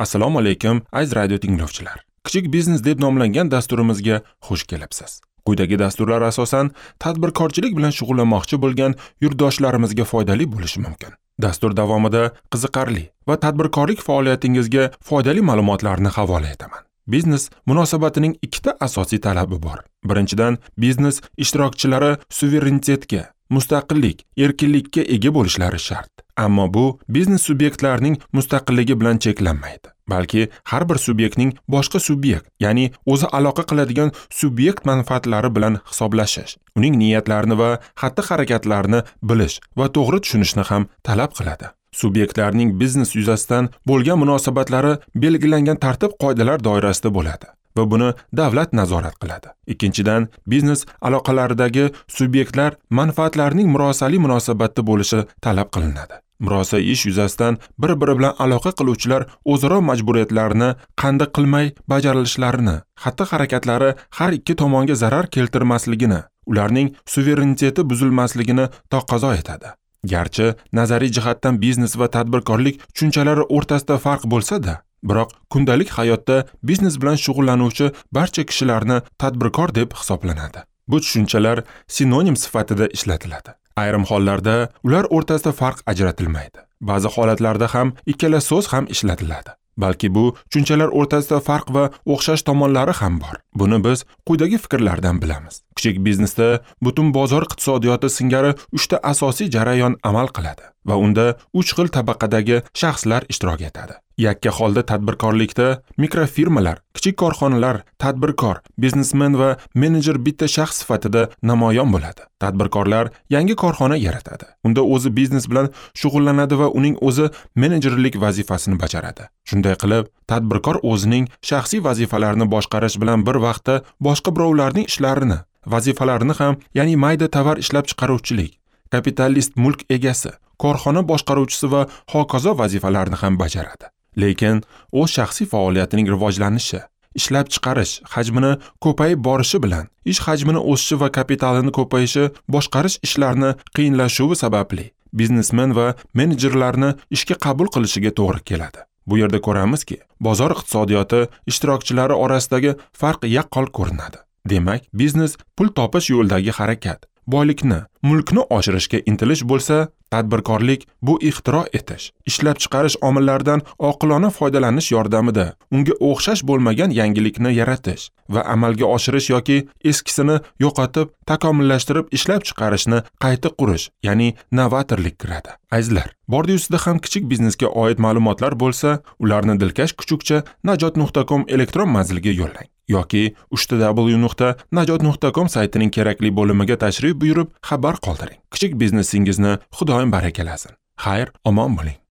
Assalomu alaykum, aziz radio tinglovchilar. Kichik biznes deb nomlangan dasturimizga xush kelibsiz. Quyidagi dasturlar asosan tadbirkorchilik bilan shug'ullanmoqchi bo'lgan yurtdoshlarimizga foydali bo'lishi mumkin. Dastur davomida qiziqarli va tadbirkorlik faoliyatingizga foydali ma'lumotlarni havola etaman. Biznes munosabatining ikkita asosiy talabi bor. Birinchidan, biznes ishtirokchilari suverenitetga, mustaqillik, erkinlikka ega bo'lishlari shart. Ammo bu biznes subyektlarining mustaqilligi bilan cheklanmaydi, balki har bir subyektning boshqa subyekt, ya'ni o'zi aloqa qiladigan subyekt manfaatlari bilan hisoblashish, uning niyatlarini va xatti-harakatlarini bilish va to'g'ri tushunishni ham talab qiladi. Subyektlarning biznes yuzasidan bo'lgan munosabatlari belgilangan tartib-qoidalar doirasida bo'ladi va buni davlat nazorat qiladi. Ikkinchidan, biznes aloqalaridagi subyektlar manfaatlarining murosali munosabatda bo'lishi talab qilinadi. Murosa ish yuzasidan bir-biri bilan aloqa qiluvchilar o'zaro majburiyatlarini qanday qilmay bajarilishlarini, xatti-harakatlari har ikki tomonga zarar keltirmasligini, ularning suvereniteti buzilmasligini taqozo etadi. Garchi nazariy jihatdan biznes va tadbirkorlik tushunchalari o'rtasida farq bo'lsa-da, biroq kundalik hayotda biznes bilan shug'ullanuvchi barcha kishilarni tadbirkor deb hisoblanadi. Bu tushunchalar sinonim sifatida ishlatiladi. Ayrim hollarda ular o'rtasida farq ajratilmaydi. Ba'zi holatlarda ham ikkala so'z ham ishlatiladi. Balki bu tushunchalar o'rtasida farq va o'xshash tomonlari ham bor. Buni biz quyidagi fikrlardan bilamiz. Kichik biznesda butun bozor iqtisodiyoti singari 3 ta asosiy jarayon amal qiladi va unda 3 xil tabaqadagi shaxslar ishtirok etadi. Yakka holda tadbirkorlikda mikrofirmalar, kichik korxonalar, tadbirkor, biznesmen va menejer bitta shaxs sifatida namoyon bo'ladi. Tadbirkorlar yangi korxona yaratadi. Unda o'zi biznes bilan shug'ullanadi va uning o'zi menejerlik vazifasini bajaradi. Shunday qilib, tadbirkor o'zining shaxsiy vazifalarini boshqarish bilan bir vaqtda boshqa birovlarning ishlarini, vazifalarini ham, ya'ni mayda tovar ishlab chiqaruvchilik, kapitalist mulk egasi, korxona boshqaruvchisi va hokazo vazifalarni ham bajaradi. Lekin o'z shaxsiy faoliyatining rivojlanishi, ishlab chiqarish hajmini ko'payib borishi bilan ish hajmini o'sishi va kapitalini ko'payishi boshqarish ishlarini qiyinlashuvi sababli biznesmen va menejerlarni ishga qabul qilishiga to'g'ri keladi. Bu yerda ko'ramizki, bozor iqtisodiyoti ishtirokchilari orasidagi farq yaqqol ko'rinadi. Demak, biznes pul topish yo'lidagi harakat, boylikni, mulkni oshirishga intilish bo'lsa, tadbirkorlik bu ixtiro etish, ishlab chiqarish omillaridan oqilona foydalanish yordamida unga o'xshash bo'lmagan yangilikni yaratish va amalga oshirish yoki eskisini yo'qotib, takomillashtirib ishlab chiqarishni qayta qurish, ya'ni novatorlik kiradi. Azizlar, bordi ustida ham kichik biznesga oid ma'lumotlar bo'lsa, ularni dilkash kuchukcha najot.com elektron manziliga yo'llang yoki www.najot.com saytining kerakli bo'limiga tashrif buyurib xabar qoldiring. Kichik biznesingizni Xudoyim barakalasin. Xayr, omon bo'ling.